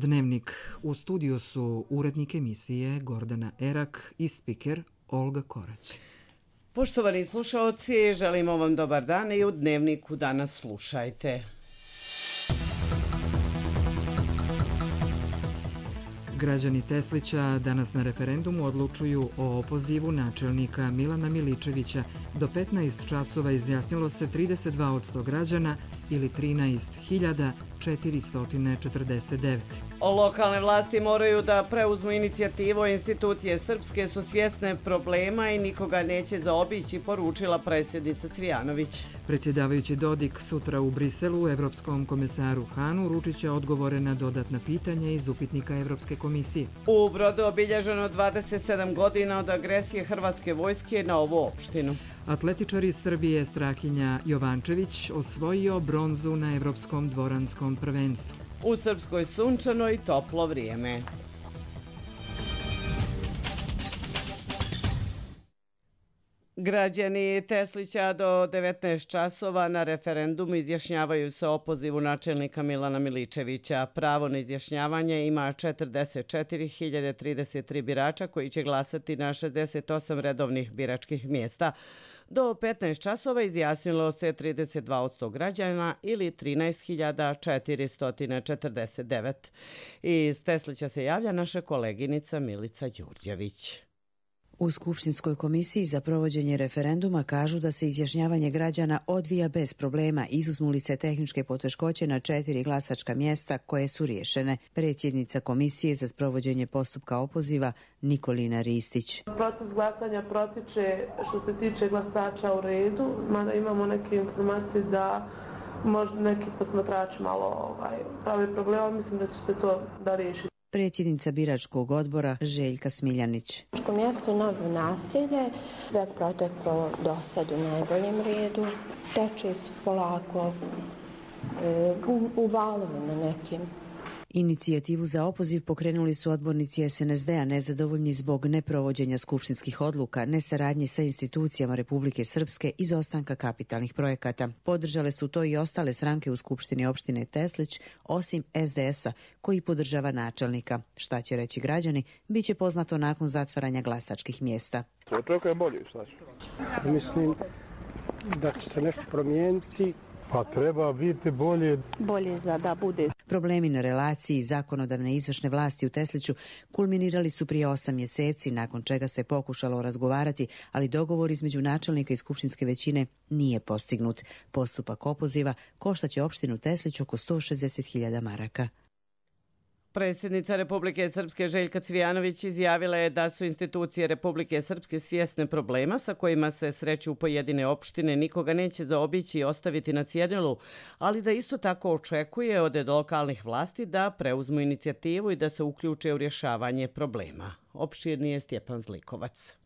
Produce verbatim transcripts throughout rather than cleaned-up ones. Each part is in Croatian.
Dnevnik. U studiju su urednik emisije Gordana Erak i spiker Olga Korać. Poštovani slušaoci, želimo vam dobar dan i u Dnevniku danas slušajte. Građani Teslića danas na referendumu odlučuju o opozivu načelnika Milana Miličevića. Do petnaest časova izjasnilo se trideset dva posto građana ili trinaest hiljada četiristo četrdeset devet. Lokalne vlasti moraju da preuzmu inicijativu, institucije srpske su svjesne problema i nikoga neće zaobići, poručila predsjednica Cvijanović. Predsjedavajući Dodik sutra u Briselu Evropskom komesaru Hanu uručit će odgovore na dodatna pitanja iz upitnika Evropske komisije. U Brodu obilježeno dvadeset sedam godina od agresije hrvatske vojske na ovu opštinu. Atletičar iz Srbije Strahinja Jovančević osvojio bronzu na Evropskom dvoranskom prvenstvu. U Srpskoj sunčano i toplo vrijeme. Građani Teslića do devetnaest časova na referendumu izjašnjavaju se o opozivu načelnika Milana Miličevića. Pravo na izjašnjavanje ima četrdeset četiri hiljade trideset tri birača koji će glasati na šezdeset osam redovnih biračkih mjesta. Do petnaest časova izjasnilo se trideset dva posto građana ili trinaest hiljada četiristo četrdeset devet. Iz Teslića se javlja naša koleginica Milica Đurđević. U Skupštinskoj komisiji za provođenje referenduma kažu da se izjašnjavanje građana odvija bez problema, izuzmu li se tehničke poteškoće na četiri glasačka mjesta koje su riješene. Predsjednica komisije za sprovođenje postupka opoziva Nikolina Ristić. Proces glasanja protiče što se tiče glasača u redu, mada imamo neke informacije da možda neki posmatrači malo ovaj, prave problema, mislim da će se to da riješiti. Predsjednica biračkog odbora Željka Smiljanić. U mjestu Novo naselje sve proteklo do sad u najboljem redu. Teče su polako e, u, u valovima nekim. Inicijativu za opoziv pokrenuli su odbornici es en es de a nezadovoljni zbog neprovođenja skupštinskih odluka, nesaradnje sa institucijama Republike Srpske i izostanka kapitalnih projekata. Podržale su to i ostale stranke u Skupštini opštine Teslić, osim es de es a, koji podržava načelnika. Šta će reći građani, bit će poznato nakon zatvaranja glasačkih mjesta. Očekujem bolje, šta će? Mislim da će se nešto promijeniti. Pa treba biti bolje. Bolje za da bude. Problemi na relaciji zakonodavne i izvršne vlasti u Tesliću kulminirali su prije osam mjeseci, nakon čega se pokušalo razgovarati, ali dogovor između načelnika i skupštinske većine nije postignut. Postupak opoziva koštaće opštinu Teslić oko sto šezdeset hiljada maraka. Predsjednica Republike Srpske Željka Cvijanović izjavila je da su institucije Republike Srpske svjesne problema sa kojima se sreću pojedine opštine, nikoga neće zaobići i ostaviti na cjedilu, ali da isto tako očekuje od lokalnih vlasti da preuzmu inicijativu i da se uključe u rješavanje problema. Opširnije Stjepan Zlikovac.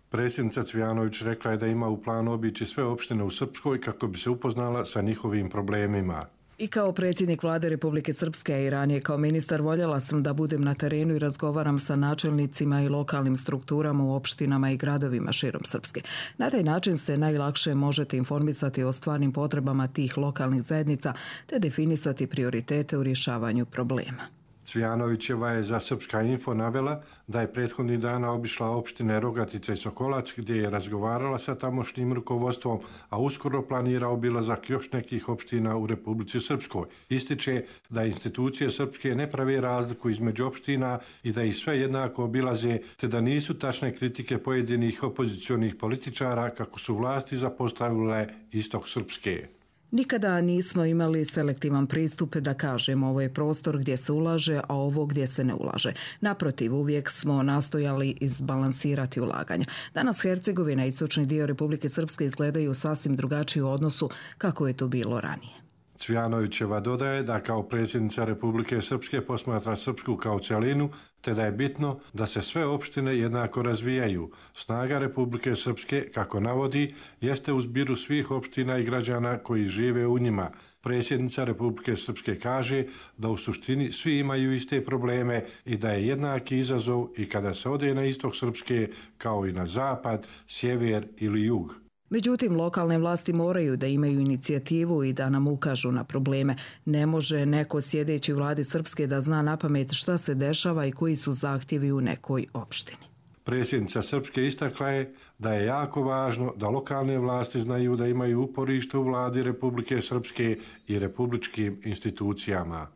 Predsjednica Cvijanović rekla je da ima u planu obići sve opštine u Srpskoj kako bi se upoznala sa njihovim problemima. I kao predsjednik vlade Republike Srpske i ranije kao ministar voljela sam da budem na terenu i razgovaram sa načelnicima i lokalnim strukturama u opštinama i gradovima širom Srpske. Na taj način se najlakše možete informisati o stvarnim potrebama tih lokalnih zajednica te definisati prioritete u rješavanju problema. Cvijanovićeva je za Srpska info navela da je prethodnih dana obišla opštine Rogatica i Sokolac gdje je razgovarala sa tamošnjim rukovodstvom, a uskoro planira obilazak još nekih opština u Republici Srpskoj. Ističe da institucije srpske ne prave razliku između opština i da ih sve jednako obilaze, te da nisu tačne kritike pojedinih opozicionih političara kako su vlasti zapostavile istok Srpske. Nikada nismo imali selektivan pristup da kažemo ovo je prostor gdje se ulaže, a ovo gdje se ne ulaže. Naprotiv, uvijek smo nastojali izbalansirati ulaganja. Danas Hercegovina i istočni dio Republike Srpske izgledaju sasvim drugačije u odnosu kako je to bilo ranije. Cvijanovićeva dodaje da kao predsjednica Republike Srpske posmatra Srpsku kao cjelinu, te da je bitno da se sve opštine jednako razvijaju. Snaga Republike Srpske, kako navodi, jeste u zbiru svih opština i građana koji žive u njima. Predsjednica Republike Srpske kaže da u suštini svi imaju iste probleme i da je jednaki izazov i kada se ode na istok Srpske kao i na zapad, sjever ili jug. Međutim, lokalne vlasti moraju da imaju inicijativu i da nam ukažu na probleme. Ne može neko sjedeći u vladi Srpske da zna napamet šta se dešava i koji su zahtjevi u nekoj opštini. Predsjednica Srpske istakla je da je jako važno da lokalne vlasti znaju da imaju uporište u vladi Republike Srpske i republičkim institucijama.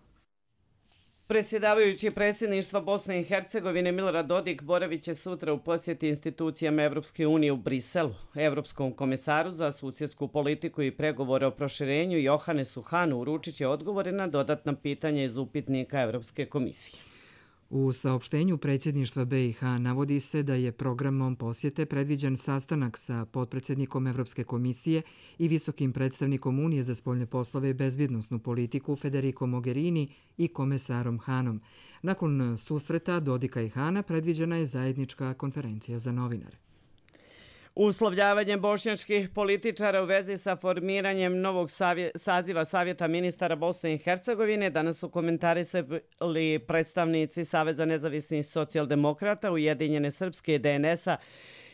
Predsjedavajući predsjedništva Bosne i Hercegovine Milorad Dodik boravit će sutra u posjeti institucijama Evropske unije u Briselu. Evropskom komesaru za susjedsku politiku i pregovore o proširenju Johanesu Hanu uručit će odgovore na dodatna pitanja iz upitnika Evropske komisije. U saopštenju predsjedništva B i H navodi se da je programom posjete predviđen sastanak sa potpredsjednikom Evropske komisije i visokim predstavnikom Unije za spoljne poslove i bezbjednosnu politiku Federico Mogherini i komesarom Hanom. Nakon susreta Dodika i Hana predviđena je zajednička konferencija za novinare. Uslovljavanjem bošnjačkih političara u vezi sa formiranjem novog savje, saziva Savjeta ministara Bosne i Hercegovine danas su komentarisali predstavnici Saveza nezavisnih socijaldemokrata, Ujedinjene Srpske i D N S-a.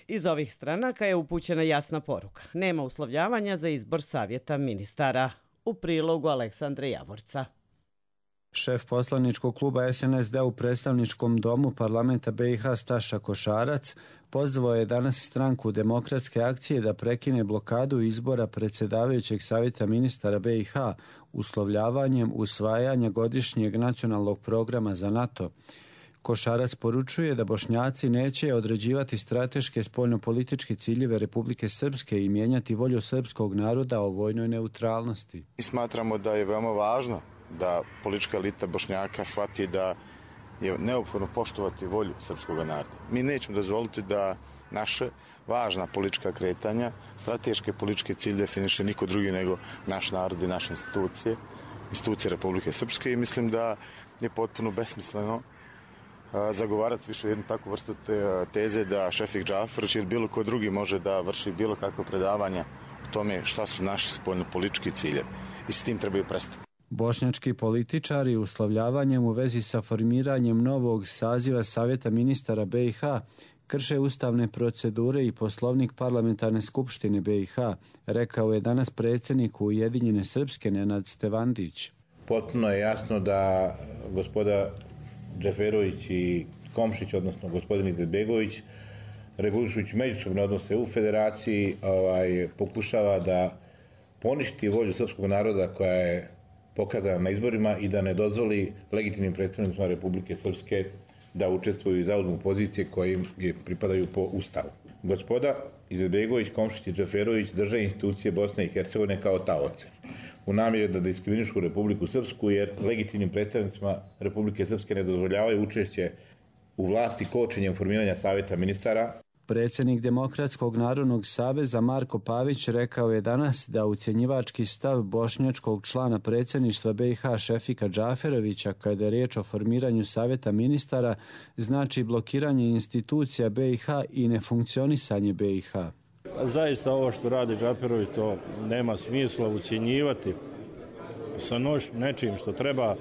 Iz ovih stranaka je upućena jasna poruka. Nema uslovljavanja za izbor Savjeta ministara. U prilogu Aleksandre Javorca. Šef poslaničkog kluba S N S D u predstavničkom domu parlamenta B i H Staša Košarac pozvao je danas stranku Demokratske akcije da prekine blokadu izbora predsjedavajućeg savjeta ministara B i H uslovljavanjem usvajanja godišnjeg nacionalnog programa za NATO. Košarac poručuje da Bošnjaci neće određivati strateške spoljnopolitičke ciljeve Republike Srpske i mijenjati volju srpskog naroda o vojnoj neutralnosti. Mi smatramo da je veoma važno da politička elita Bošnjaka shvati da je neophodno poštovati volju srpskog naroda. Mi nećemo dozvoliti da naše važna politička kretanja, strateške političke cilje definiše niko drugi nego naš narod i naše institucije, institucije Republike Srpske i mislim da je potpuno besmisleno zagovarati više jednu takvu vrstu te, teze da Šefik Džafarić ili bilo ko drugi može da vrši bilo kakve predavanja o tome šta su naši spoljnopolitički ciljevi i s tim trebaju prestati. Bošnjački političari uslovljavanjem u vezi sa formiranjem novog saziva Savjeta ministara B i H krše ustavne procedure i poslovnik parlamentarne skupštine B i H, rekao je danas predsjednik Ujedinjene Srpske Nenad Stevandić. Potpuno je jasno da gospoda Džaferović i Komšić, odnosno gospodin Izetbegović, regulišući međusobne odnose u federaciji, ovaj, pokušava da poništi volju srpskog naroda koja je pokazana na izborima i da ne dozvoli legitimnim predstavnicima Republike Srpske da učestvuju i zauzmu pozicije koje im pripadaju po Ustavu. Gospoda Izetbegović, Komšić i Džaferović drže institucije Bosne i Hercegovine kao taoce u namjeri da diskriminišu Republiku Srpsku jer legitimnim predstavnicima Republike Srpske ne dozvoljavaju učešće u vlasti kočenjem formiranja savjeta ministara. Predsjednik Demokratskog narodnog saveza Marko Pavić rekao je danas da ucjenjivački stav bošnjačkog člana predsjedništva B i H Šefika Džaferovića kada je riječ o formiranju savjeta ministara znači blokiranje institucija B i H i nefunkcionisanje B i H. Zaista ovo što radi Džaferović to nema smisla ucjenjivati sa nož nečim što treba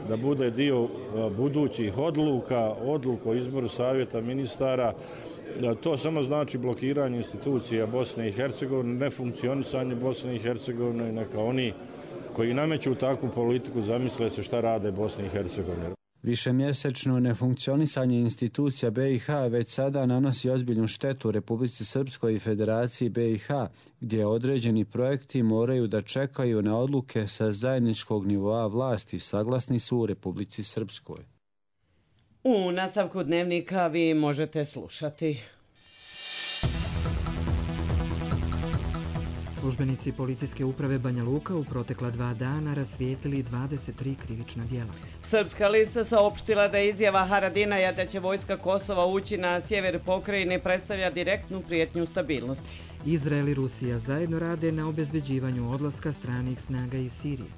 da bude dio budućih odluka, odluka o izboru savjeta ministara. To samo znači blokiranje institucija Bosne i Hercegovine, nefunkcionisanje Bosne i Hercegovine, neka oni koji nameću takvu politiku zamisle se šta rade Bosne i Hercegovine. Višemjesečno nefunkcionisanje institucija B i H već sada nanosi ozbiljnu štetu Republici Srpskoj i Federaciji B i H, gdje određeni projekti moraju da čekaju na odluke sa zajedničkog nivoa vlasti, saglasni su u Republici Srpskoj. U nastavku dnevnika vi možete slušati. Službenici policijske uprave Banja Luka u protekla dva dana rasvijetili dvadeset tri krivična djela. Srpska lista saopštila da je izjava Haradinaja da će vojska Kosova ući na sjever pokrajine predstavlja direktnu prijetnju stabilnosti. Izrael i Rusija zajedno rade na obezbeđivanju odlaska stranih snaga iz Sirije.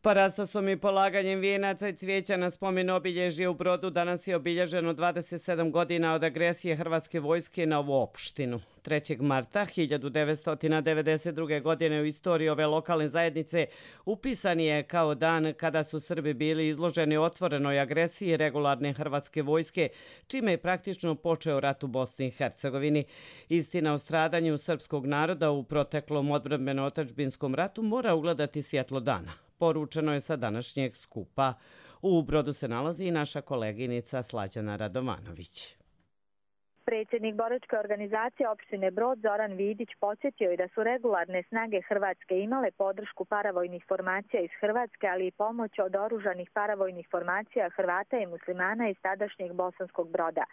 Parastosom i polaganjem vijenaca i cvijeća na spomen obilježje u Brodu danas je obilježeno dvadeset sedam godina od agresije Hrvatske vojske na ovu opštinu. trećeg marta hiljadu devetsto devedeset druge. godine u istoriji ove lokalne zajednice upisan je kao dan kada su Srbi bili izloženi otvorenoj agresiji regularne Hrvatske vojske, čime je praktično počeo rat u Bosni i Hercegovini. Istina o stradanju srpskog naroda u proteklom odbrambeno-otadžbinskom ratu mora ugledati svjetlo dana. Poručeno je sa današnjeg skupa. U Brodu se nalazi i naša koleginica Slađana Radovanović. Predsjednik boračke organizacije opštine Brod Zoran Vidić podsjetio je da su regularne snage Hrvatske imale podršku paravojnih formacija iz Hrvatske, ali i pomoć od oružanih paravojnih formacija Hrvata i muslimana iz tadašnjeg Bosanskog Broda.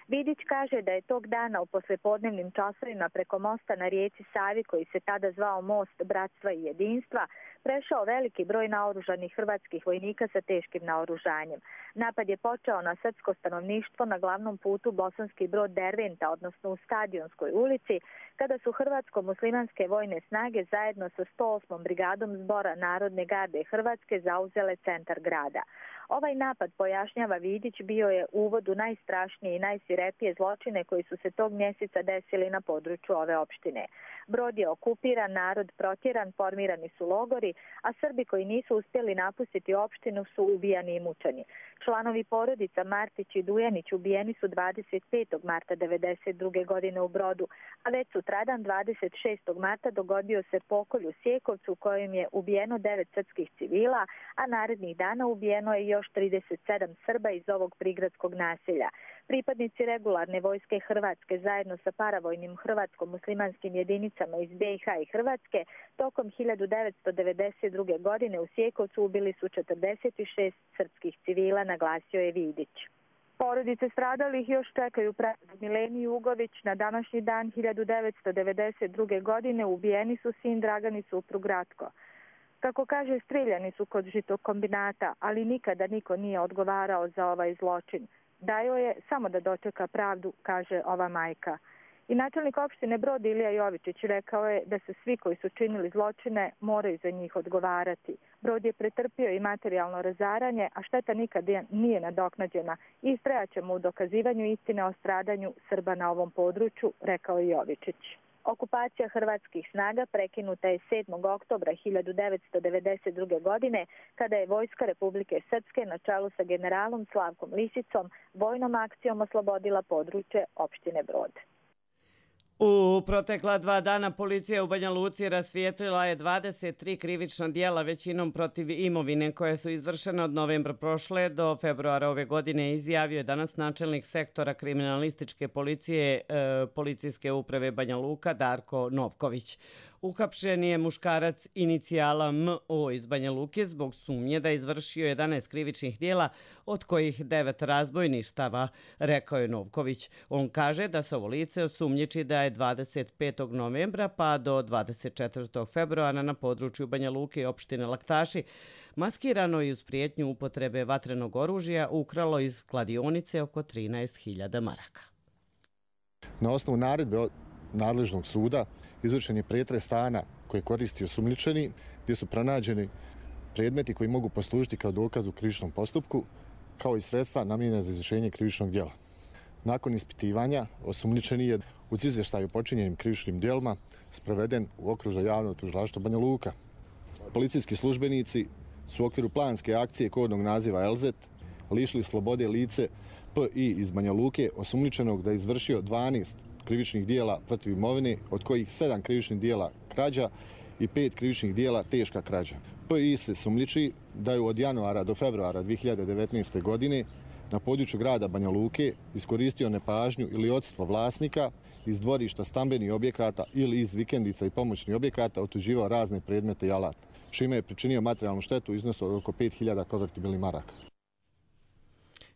Vidić kaže da je tog dana u poslepodnevnim časovima preko mosta na rijeci Savi, koji se tada zvao Most bratstva i jedinstva, prešao veliki broj naoružanih hrvatskih vojnika sa teškim naoružanjem. Napad je počeo na srpsko stanovništvo na glavnom putu Bosanski Brod Derventa, odnosno u Stadionskoj ulici, kada su hrvatsko-muslimanske vojne snage zajedno sa sto osmom brigadom zbora Narodne garde Hrvatske zauzele centar grada. Ovaj napad, pojašnjava Vidić, bio je uvod u najstrašnije i najsvirepije zločine koji su se tog mjeseca desili na području ove opštine. Brod je okupiran, narod protjeran, formirani su logori, a Srbi koji nisu uspjeli napustiti opštinu su ubijani i mučeni. Članovi porodica Martić i Dujanić ubijeni su dvadeset petog marta devedeset druge. godine u Brodu, a već sutradan dvadeset šestog marta dogodio se pokolj u Sjekovcu u kojem je ubijeno devet srpskih civila, a narednih dana ubijeno je još trideset sedam Srba iz ovog prigradskog naselja. Pripadnici regularne vojske Hrvatske zajedno sa paravojnim hrvatsko-muslimanskim jedinicama iz B i H i Hrvatske tokom hiljadu devetsto devedeset druge. godine u Sjekovcu ubili su četrdeset šest srpskih civila, naglasio je Vidić. Porodice stradalih još čekaju pravdu. Mileniju Ugović na današnji dan hiljadu devetsto devedeset druge. godine ubijeni su sin Dragan i suprug Ratko. Kako kaže, strijeljani su kod žitokombinata, ali nikada niko nije odgovarao za ovaj zločin. Dajao je samo da dočeka pravdu, kaže ova majka. I načelnik opštine Brod Ilija Jovičić rekao je da se svi koji su činili zločine moraju za njih odgovarati. Brod je pretrpio i materijalno razaranje, a šteta nikad nije nadoknađena i istrajaćemo u dokazivanju istine o stradanju Srba na ovom području, rekao je Jovičić. Okupacija hrvatskih snaga prekinuta je sedmog oktobra hiljadu devetsto devedeset druge. godine, kada je Vojska Republike Srpske na čelu sa generalom Slavkom Lisicom vojnom akcijom oslobodila područje opštine Brod. U protekla dva dana policija u Banja Luci rasvijetlila je dvadeset tri krivična dijela, većinom protiv imovine, koje su izvršene od novembra prošle do februara ove godine, izjavio je danas načelnik sektora kriminalističke policije e, policijske uprave Banja Luka Darko Novković. Uhapšen je muškarac inicijala M O iz Banja Luke zbog sumnje da je izvršio jedanaest krivičnih dijela, od kojih devet razbojništava, rekao je Novković. On kaže da se ovo lice osumnjiči da je dvadeset petog novembra pa do dvadeset četvrtog februara na području Banja Luke i opštine Laktaši maskirano i uz prijetnju upotrebe vatrenog oružja ukralo iz kladionice oko trinaest hiljada maraka. Na osnovu naredbe nadležnog suda izvršen je pretres stana koje koristi osumnjičeni, gdje su pronađeni predmeti koji mogu poslužiti kao dokaz u krivičnom postupku, kao i sredstva namijenjena za izvršenje krivičnog djela. Nakon ispitivanja, osumnjičeni je uz izvještaj o počinjenim krivičnim djelima sproveden u okružje javnog tužilaštva Banja Luka. Policijski službenici su u okviru planske akcije kodnog naziva Elzet lišili slobode lice P I iz Banja Luke, osumnjičenog da je izvršio dvanaest krivičnih dijela protiv imovine, od kojih sedam krivičnih dijela krađa i pet krivičnih dijela teška krađa. P I se sumnjiči da je od januara do februara dvije hiljade devetnaeste. godine na području grada Banja Luke iskoristio nepažnju ili odsustvo vlasnika iz dvorišta stambenih objekata ili iz vikendica i pomoćnih objekata otuđivao razne predmete i alata, čime je pričinio materijalnu štetu u iznosu od oko pet hiljada konvertibilnih maraka.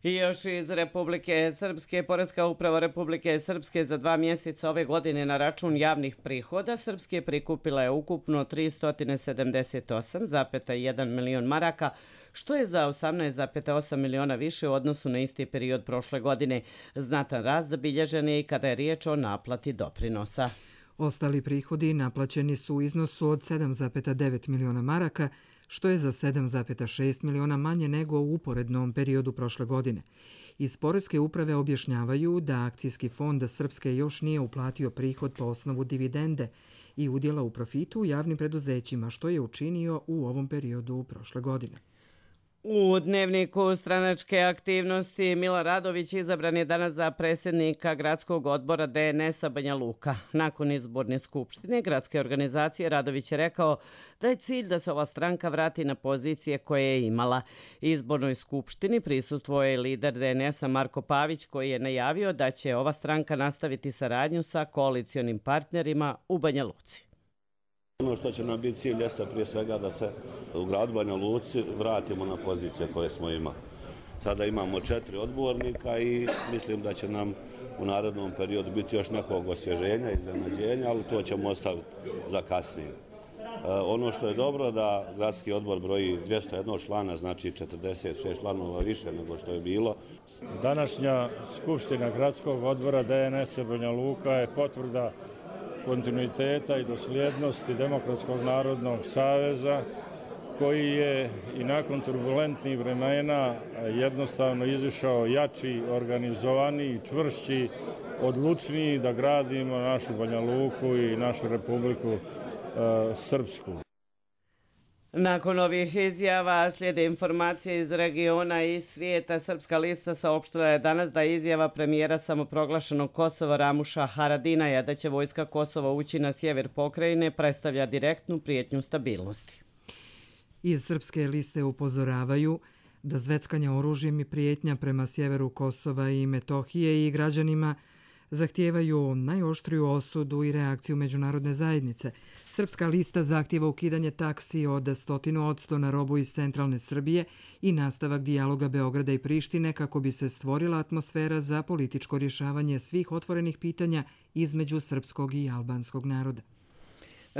I još iz Republike Srpske, Poreska uprava Republike Srpske za dva mjeseca ove godine na račun javnih prihoda Srpske prikupila je ukupno tristo sedamdeset osam zarez jedan milion maraka, što je za osamnaest zarez osam miliona više u odnosu na isti period prošle godine. Znatan rast zabilježen je i kada je riječ o naplati doprinosa. Ostali prihodi naplaćeni su u iznosu od sedam zarez devet miliona maraka, što je za sedam zarez šest miliona manje nego u uporednom periodu prošle godine. Iz Poreske uprave objašnjavaju da akcijski fond Srpske još nije uplatio prihod po osnovu dividende i udjela u profitu u javnim preduzećima, što je učinio u ovom periodu prošle godine. U dnevniku stranačke aktivnosti Mila Radović izabran je danas za predsjednika gradskog odbora D N S-a Banja Luka. Nakon izborne skupštine gradske organizacije Radović je rekao da je cilj da se ova stranka vrati na pozicije koje je imala. Izbornoj skupštini prisustvuje je lider D N S-a Marko Pavić koji je najavio da će ova stranka nastaviti saradnju sa koalicionim partnerima u Banja Luci. Ono što će nam biti cilj jeste prije svega da se u gradu Banja Luci vratimo na pozicije koje smo imali. Sada imamo četiri odbornika i mislim da će nam u narednom periodu biti još nekog osvježenja i iznenađenja, ali to ćemo ostaviti za kasnije. E, ono što je dobro da gradski odbor broji dvjesto jedan člana, znači četrdeset šest članova više nego što je bilo. Današnja skupština gradskog odbora D N S-a Banja Luka je potvrda kontinuiteta i dosljednosti Demokratskog narodnog saveza koji je i nakon turbulentnih vremena jednostavno izišao jači, organizovaniji, čvršći, odlučniji da gradimo našu Banja Luku i našu Republiku e, Srpsku. Nakon ovih izjava slijede informacije iz regiona i svijeta. Srpska lista saopštila je danas da je izjava premijera samoproglašenog Kosova Ramuša Haradinaja da će vojska Kosova ući na sjever pokrajine predstavlja direktnu prijetnju stabilnosti. Iz Srpske liste upozoravaju da zveckanje oružjem i prijetnja prema sjeveru Kosova i Metohije i građanima zahtijevaju najoštriju osudu i reakciju međunarodne zajednice. Srpska lista zahtijeva ukidanje taksi od stotinu odsto na robu iz centralne Srbije i nastavak dijaloga Beograda i Prištine kako bi se stvorila atmosfera za političko rješavanje svih otvorenih pitanja između srpskog i albanskog naroda.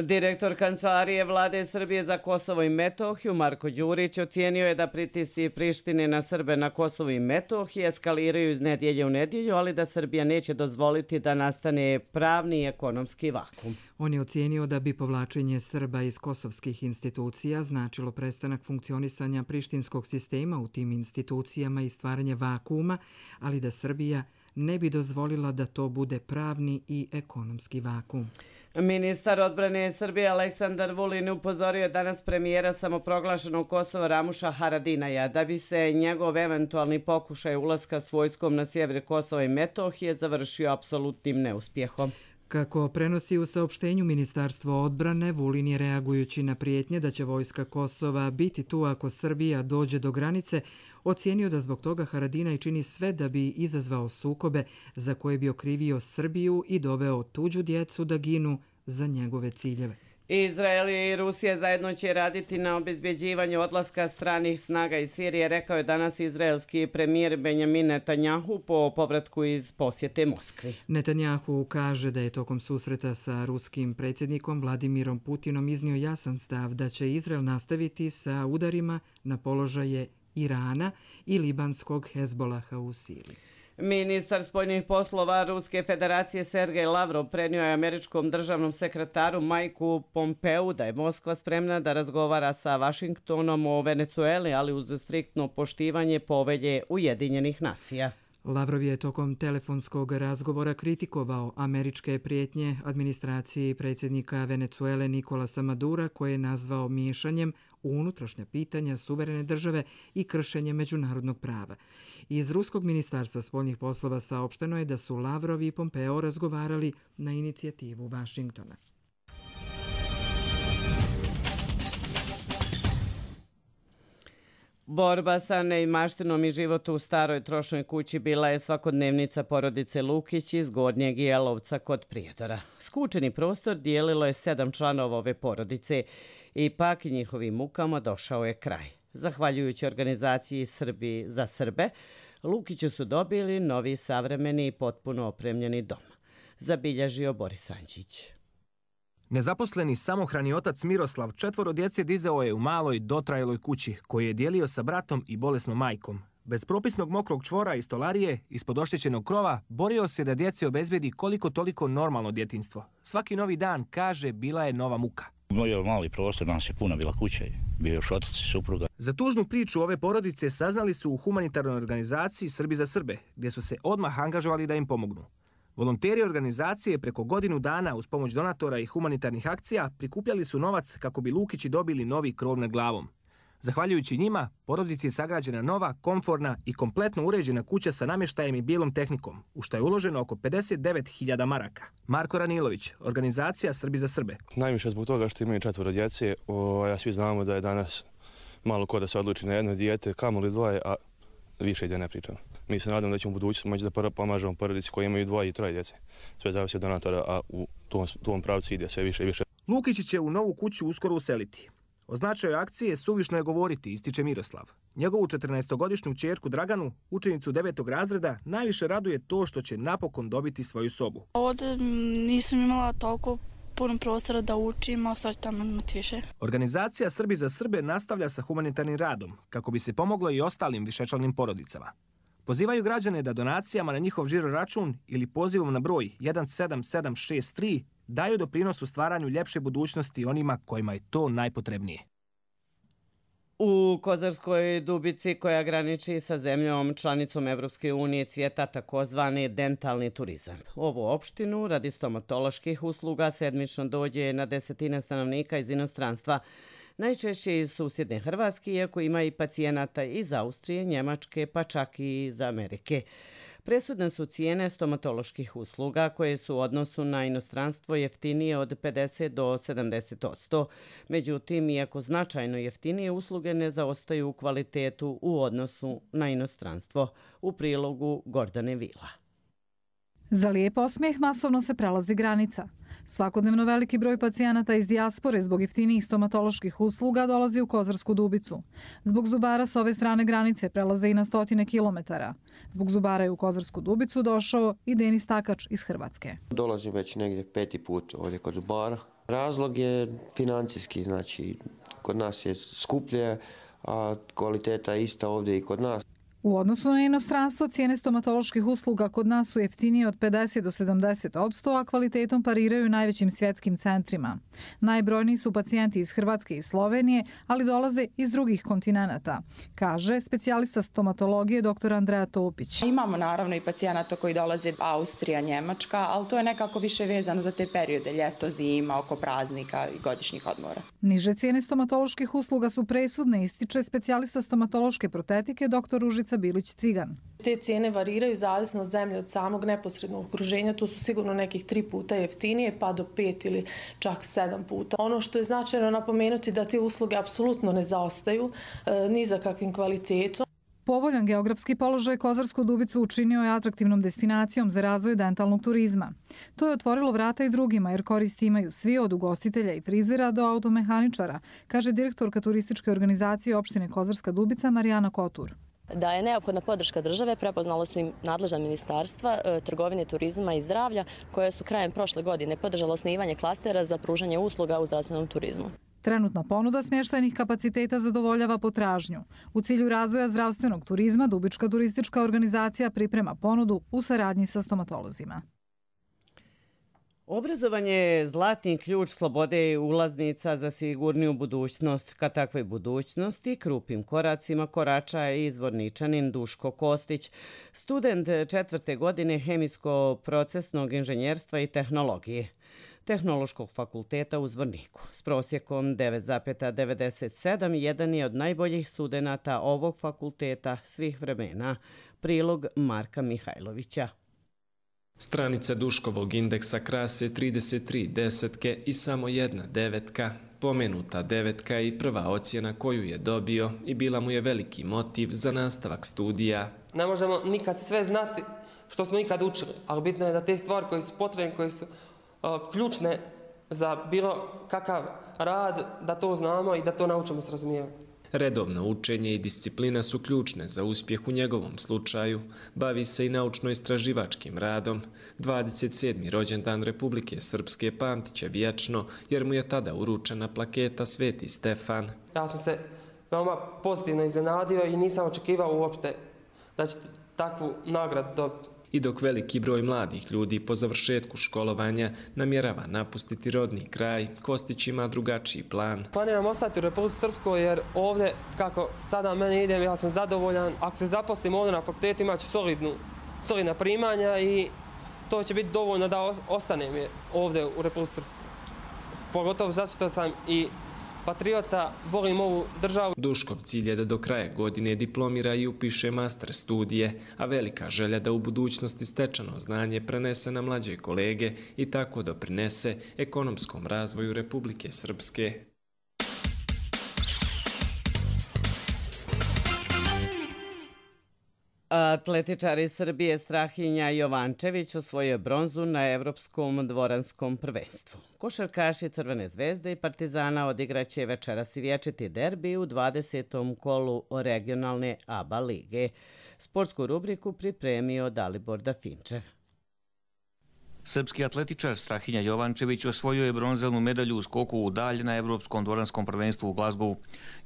Direktor Kancelarije Vlade Srbije za Kosovo i Metohiju Marko Đurić ocijenio je da pritisci Prištine na Srbe na Kosovu i Metohiji eskaliraju iz nedjelje u nedjelju, ali da Srbija neće dozvoliti da nastane pravni i ekonomski vakum. On je ocijenio da bi povlačenje Srba iz kosovskih institucija značilo prestanak funkcionisanja prištinskog sistema u tim institucijama i stvaranje vakuma, ali da Srbija ne bi dozvolila da to bude pravni i ekonomski vakum. Ministar odbrane Srbije Aleksandar Vulin upozorio je danas premijera samoproglašenog Kosova Ramuša Haradinaja da bi se njegov eventualni pokušaj ulaska s vojskom na sjever Kosova i Metohije završio apsolutnim neuspjehom. Kako prenosi u saopštenju Ministarstvo odbrane, Vulin je reagujući na prijetnje da će vojska Kosova biti tu ako Srbija dođe do granice, ocijenio da zbog toga Haradinaj čini sve da bi izazvao sukobe za koje bi okrivio Srbiju i doveo tuđu djecu da ginu za njegove ciljeve. Izrael i Rusija zajedno će raditi na obezbjeđivanju odlaska stranih snaga iz Sirije, rekao je danas izraelski premijer Benjamin Netanjahu po povratku iz posjete Moskvi. Netanjahu kaže da je tokom susreta sa ruskim predsjednikom Vladimirom Putinom iznio jasan stav da će Izrael nastaviti sa udarima na položaje Irana i libanskog Hezbolaha u Siriji. Ministar spoljnih poslova Ruske federacije Sergej Lavrov prenio je američkom državnom sekretaru Majku Pompeu da je Moskva spremna da razgovara sa Vašingtonom o Venecueli, ali uz striktno poštivanje povelje Ujedinjenih nacija. Lavrov je tokom telefonskog razgovora kritikovao američke prijetnje administraciji predsjednika Venecuele Nikolasa Madura koje je nazvao miješanjem u unutrašnja pitanja suverene države i kršenje međunarodnog prava. Iz Ruskog ministarstva spoljnih poslova saopšteno je da su Lavrov i Pompeo razgovarali na inicijativu Vašingtona. Borba sa neimaštinom i život u staroj trošnoj kući bila je svakodnevnica porodice Lukić iz Gornjeg Jelovca kod Prijedora. Skučeni prostor dijelilo je sedam članova ove porodice. Ipak njihovim mukama došao je kraj. Zahvaljujući organizaciji Srbi za Srbe, Lukiću su dobili novi savremeni i potpuno opremljeni dom. Zabilježio Boris Anđić. Nezaposleni samohrani otac Miroslav četvoro djece dizao je u maloj dotrajaloj kući koju je dijelio sa bratom i bolesnom majkom. Bez propisnog mokrog čvora i stolarije, ispod oštećenog krova, borio se da djeci obezbedi koliko toliko normalno djetinjstvo. Svaki novi dan, kaže, bila je nova muka. Bio mali prostor, nas je puna bila kuća, bio još otac i supruga. Za tužnu priču ove porodice saznali su u humanitarnoj organizaciji Srbi za Srbe, gdje su se odmah angažovali da im pomognu. Volonteri organizacije preko godinu dana uz pomoć donatora i humanitarnih akcija prikupljali su novac kako bi Lukići dobili novi krov nad glavom. Zahvaljujući njima, porodici je sagrađena nova, komforna i kompletno uređena kuća sa namještajem i bijelom tehnikom, u što je uloženo oko pedeset devet hiljada maraka. Marko Ranilović, organizacija Srbi za Srbe. Najviše zbog toga što imaju četvoro djece, a svi znamo da je danas malo ko da se odluči na jedno dijete, kamoli dvoje, a više gdje ne pričamo. Mi se nadamo da ćemo u budućnosti moći da pomažemo porodici koji imaju dvoje i troje djece. Sve zavisi od donatora, a u tom, tom pravcu ide sve više i više. Lukići će u novu kuću uskoro useliti. O značaju akcije suvišno je govoriti, ističe Miroslav. Njegovu četrnaestogodišnju ćerku Draganu, učenicu devetog razreda, najviše raduje to što će napokon dobiti svoju sobu. Ovdje nisam imala toliko puno prostora da učim, a sad ću tamo imati više. Organizacija Srbi za Srbe nastavlja sa humanitarnim radom, kako bi se pomoglo i ostalim višečlanim porodicama. Pozivaju građane da donacijama na njihov žiro račun ili pozivom na broj jedan sedam sedam šest tri daju doprinos u stvaranju ljepše budućnosti onima kojima je to najpotrebnije. U Kozarskoj Dubici, koja graniči sa zemljom članicom Evropske unije, cvjeta takozvani dentalni turizam. Ovu opštinu radi stomatoloških usluga sedmično dođe na desetine stanovnika iz inostranstva, najčešće iz susjedne Hrvatske, iako ima i pacijenata iz Austrije, Njemačke, pa čak i iz Amerike. Presudne su cijene stomatoloških usluga koje su u odnosu na inostranstvo jeftinije od pedeset do sedamdeset posto. Međutim, iako značajno jeftinije usluge ne zaostaju u kvalitetu u odnosu na inostranstvo. U prilogu Gordane Vila. Za lijep osmijeh masovno se prelazi granica. Svakodnevno veliki broj pacijenata iz dijaspore zbog jeftinijih stomatoloških usluga dolazi u Kozarsku Dubicu. Zbog zubara s ove strane granice prelaze i na stotine kilometara. Zbog zubara je u Kozarsku Dubicu došao i Denis Takač iz Hrvatske. Dolazim već negdje peti put ovdje kod zubara. Razlog je financijski, znači kod nas je skuplje, a kvaliteta je ista ovdje i kod nas. U odnosu na inostranstvo, cijene stomatoloških usluga kod nas su jeftinije od pedeset do sedamdeset odsto, a kvalitetom pariraju najvećim svjetskim centrima. Najbrojniji su pacijenti iz Hrvatske i Slovenije, ali dolaze iz drugih kontinenata, kaže specijalista stomatologije dr. Andreja Topić. Imamo naravno i pacijenata koji dolaze Austrija, Njemačka, ali to je nekako više vezano za te periode, ljeto, zima, oko praznika i godišnjih odmora. Niže cijene stomatoloških usluga su presudne, ističe specijalista stomatološke protetike dr. Ružica Bilić-Cigan. Te cijene variraju zavisno od zemlje, od samog neposrednog okruženja. Tu su sigurno nekih tri puta jeftinije, pa do pet ili čak sedam puta. Ono što je značajno napomenuti da te usluge apsolutno ne zaostaju e, ni za kakvim kvalitetom. Povoljan geografski položaj Kozarsku Dubicu učinio je atraktivnom destinacijom za razvoj dentalnog turizma. To je otvorilo vrata i drugima jer koristi imaju svi od ugostitelja i frizera do automehaničara, kaže direktorka turističke organizacije opštine Kozarska Dubica Marijana Kotur. Da je neophodna podrška države prepoznalo su im nadležna ministarstva trgovine, turizma i zdravlja koje su krajem prošle godine podržalo osnivanje klastera za pružanje usluga u zdravstvenom turizmu. Trenutna ponuda smještajnih kapaciteta zadovoljava potražnju. U cilju razvoja zdravstvenog turizma Dubička turistička organizacija priprema ponudu u saradnji sa stomatolozima. Obrazovanje je zlatni ključ slobode i ulaznica za sigurniju budućnost. Ka takvoj budućnosti krupim koracima korača i izvorničanin Duško Kostić, student četvrte godine hemijsko-procesnog inženjerstva i tehnologije Tehnološkog fakulteta u Zvorniku. S prosjekom devet zarez devedeset sedam jedan je od najboljih studenata ovog fakulteta svih vremena. Prilog Marka Mihajlovića. Stranica Duškovog indeksa krase trideset tri desetke i samo jedna devetka. Pomenuta devetka i prva ocjena koju je dobio i bila mu je veliki motiv za nastavak studija. Ne možemo nikad sve znati što smo ikad učili, ali bitno je da te stvari koje su potrebne, koje su uh, ključne za bilo kakav rad, da to znamo i da to naučimo s razumijevanjem. Redovno učenje i disciplina su ključne za uspjeh u njegovom slučaju. Bavi se i naučno-istraživačkim radom. dvadeset sedmi rođendan Republike Srpske pamtit će vječno, jer mu je tada uručena plaketa Sveti Stefan. Ja sam se veoma pozitivno iznenadio i nisam očekivao uopšte da će takvu nagradu dobiti. I dok veliki broj mladih ljudi po završetku školovanja namjerava napustiti rodni kraj, Kostić ima drugačiji plan. Planiram ostati u Republici Srpskoj jer ovdje, kako sada meni idem, ja sam zadovoljan. Ako se zaposlim ovdje na fakultetu, imat ću solidnu, solidna primanja i to će biti dovoljno da ostanem ovdje u Republici Srpskoj. Pogotovo zato što sam i patriota, volim ovu državu. Duškov cilj je da do kraja godine diplomira i upiše master studije, a velika želja da u budućnosti stečeno znanje prenese na mlađe kolege i tako doprinese ekonomskom razvoju Republike Srpske. Atletičar iz Srbije Strahinja Jovančević osvojio bronzu na Evropskom dvoranskom prvenstvu. Košarkaši Crvene zvezde i Partizana odigraće večeras i vječiti derbi u dvadesetom kolu regionalne A B A lige. Sportsku rubriku pripremio Dalibor Dafinčev. Srpski atletičar Strahinja Jovančević osvojio je bronzanu medalju u skoku u dalj na Evropskom dvoranskom prvenstvu u Glazgovu.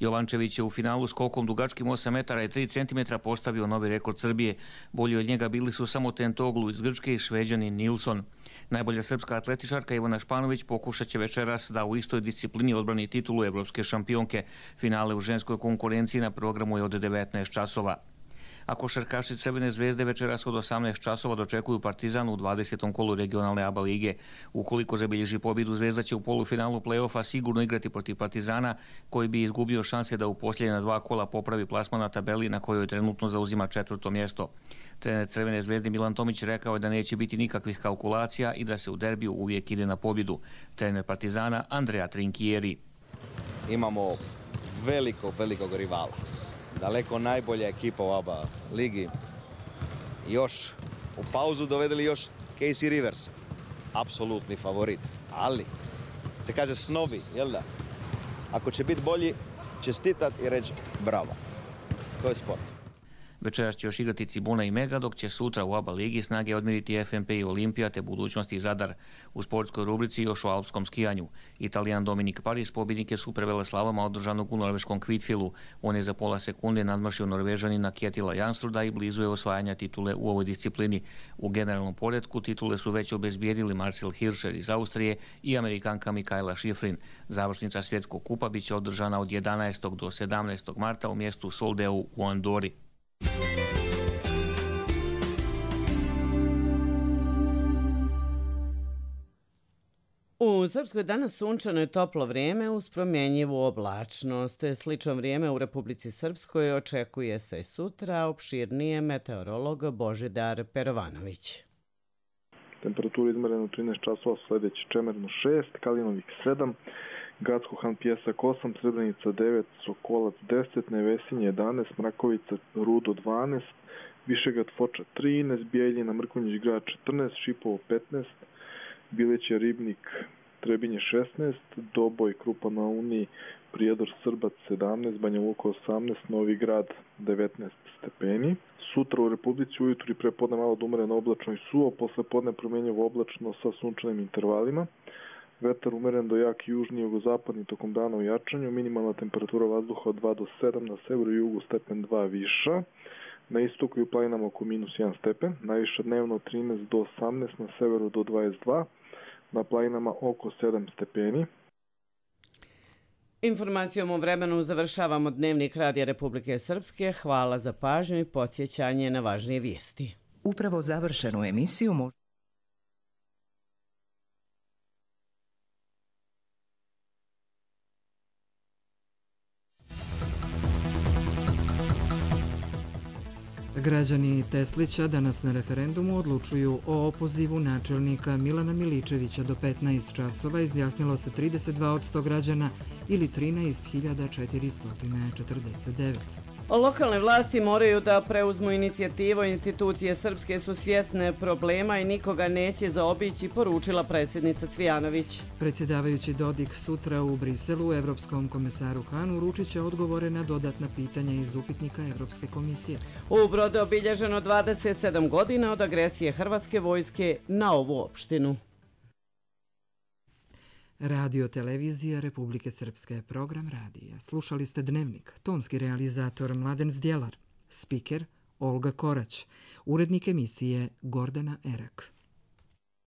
Jovančević je u finalu skokom dugačkim osam metara i tri centimetra postavio novi rekord Srbije. Bolji od njega bili su samo Tentoglu iz Grčke i Šveđanin Nilsson. Najbolja srpska atletičarka Ivana Španović pokušat će večeras da u istoj disciplini odbrani titulu evropske šampionke. Finale u ženskoj konkurenciji na programu je od devetnaest časova. A košarkaši Crvene zvezde večeras od osamnaest časova dočekuju Partizan u dvadesetom kolu regionalne A B A lige. Ukoliko zabilježi pobjedu, Zvezda će u polufinalu play-offa sigurno igrati protiv Partizana, koji bi izgubio šanse da u posljednja dva kola popravi plasman na tabeli na kojoj trenutno zauzima četvrto mjesto. Trener Crvene zvezde Milan Tomić rekao je da neće biti nikakvih kalkulacija i da se u derbiju uvijek ide na pobjedu. Trener Partizana Andrea Trinkieri. Imamo velikog, velikog rivala. Daleko najbolja ekipa u A B A ligi. Još u pauzu dovedeli još Casey Rivers. Apsolutni favorit. Ali, se kaže snovi, jel da? Ako će biti bolji, čestitat i reći bravo. To je sport. Večeras će još igrati Cibona i Mega, dok će sutra u A B A ligi snage odmiriti F M P i Olimpija te budućnosti i Zadar. U sportskoj rubrici još o alpskom skijanju. Italijan Dominik Paris pobjednik je superveleslaloma održanog u norveškom Kvitfilu. On je za pola sekunde nadmašio Norvežanina Kjetila Janstruda i blizu je osvajanja titule u ovoj disciplini. U generalnom poretku titule su već obezbijedili Marcel Hirscher iz Austrije i Amerikanka Mikaela Schifrin. Završnica svjetskog kupa bit će održana od jedanaestog do sedamnaestog marta u mjestu Soldeu u Andori. U Srpskoj danas sunčano i toplo vrijeme uz promjenjivu oblačnost. Slično vrijeme u Republici Srpskoj očekuje se sutra, opširnije meteorolog Božidar Perovanović. Temperatura izmerena u trinaest časova, sljedeći Čemerno šest, Kalinovik sedam, Gacko-Han Pjesak osam, Srebrenica devet, Sokolac deset, Nevesinje jedanaest, Mrakovica Rudo dvanaest, Višegrad Foča trinaest, Bijeljina Mrkonjić Grad četrnaest, Šipovo petnaest, Bileće Ribnik Trebinje šesnaest, Doboj Krupa na Uniji Prijedor Srbac sedamnaest, Banja Luka osamnaest, Novi Grad devetnaest stepeni. Sutra u Republici ujutru i prepodne malo da umere na oblačno i suvo, posle podne promjenjivo oblačno sa sunčanim intervalima. Vetar umeren do jak južni jugozapadni tokom dana u jačanju, minimalna temperatura vazduha od dva do sedam, na severu i jugu stepen dva viša, na istoku i u planinama oko minus jedan stepen, najviše dnevno od trinaest do osamnaest, na severu do dvadeset dva, na planinama oko sedam stepeni. Informacijom o vremenu završavamo Dnevnik Radija Republike Srpske. Hvala za pažnju i podsjećanje na važnije vijesti. Upravo završenu emisiju možete Građani Teslića danas na referendumu odlučuju o opozivu načelnika Milana Miličevića. Do petnaest časova izjasnilo se trideset dva posto građana ili trinaest hiljada četiristo četrdeset devet. Lokalne vlasti moraju da preuzmu inicijativu, institucije srpske su svjesne problema i nikoga neće zaobići, poručila predsjednica Cvijanović. Predsjedavajući Dodik sutra u Briselu Evropskom komesaru Hanu uručit će odgovore na dodatna pitanja iz upitnika Evropske komisije. U Brodu je obilježeno dvadeset sedam godina od agresije Hrvatske vojske na ovu opštinu. Radio televizija Republike Srpske, program radija. Slušali ste Dnevnik, tonski realizator Mladen Zdjelar, spiker Olga Korać, urednik emisije Gordana Erak.